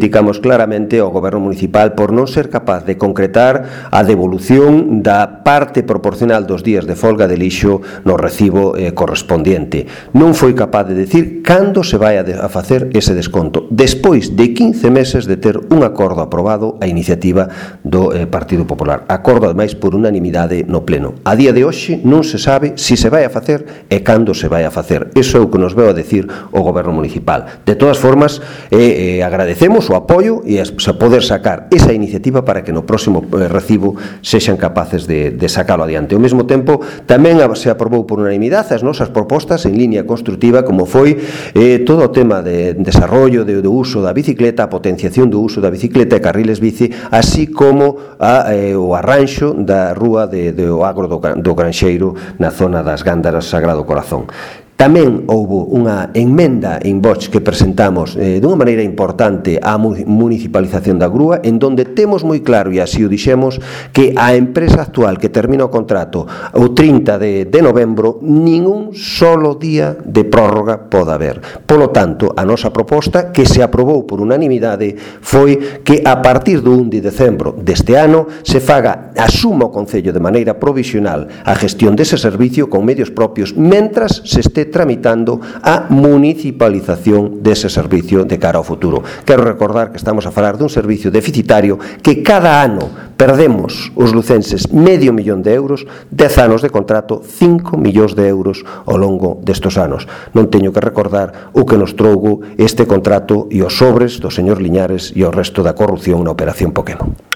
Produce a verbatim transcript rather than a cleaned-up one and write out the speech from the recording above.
criticamos claramente ao Goberno municipal por non ser capaz de concretar a devolución da parte proporcional dos días de folga de lixo no recibo eh, correspondiente. Non foi capaz de decir cando se vai a, de, a facer ese desconto, despois de quince meses de ter un acordo aprobado a iniciativa do eh, Partido Popular. Acordo, ademais, por unanimidade no Pleno. A día de hoxe non se sabe se se vai a facer e cando se vai a facer. Iso é o que nos veo a decir o Goberno municipal. De todas formas, eh, eh, agradecemos o apoio e a poder sacar esa iniciativa para que no próximo eh, recibo sexan capaces de, de sacalo adiante. Ao mesmo tempo, tamén se aprobou por unanimidade as nosas propostas en línea constructiva, como foi eh, todo o tema de desarrollo de, do uso da bicicleta, a potenciación do uso da bicicleta e carriles bici, así como a, eh, o arranxo da rúa de, de o agro do, do Granxeiro na zona das Gándaras Sagrado Corazón. Tamén houbo unha enmenda en Vox que presentamos eh, dunha maneira importante á municipalización da grúa, en donde temos moi claro, e así o dixemos, que a empresa actual que termina o contrato o trinta de novembro, ningún solo día de prórroga pode haber. Polo tanto, a nosa proposta, que se aprobou por unanimidade, foi que a partir do un de decembro deste ano se faga, asuma o Concello de maneira provisional a gestión dese servicio con medios propios, mentras se este tramitando a municipalización dese servicio de cara ao futuro. Quero recordar que estamos a falar dun servicio deficitario que cada ano perdemos os lucenses medio millón de euros, dez anos de contrato, cinco millóns de euros ao longo destos anos. Non teño que recordar o que nos trougo este contrato e os sobres do señor Liñares e o resto da corrupción na Operación Pokémon.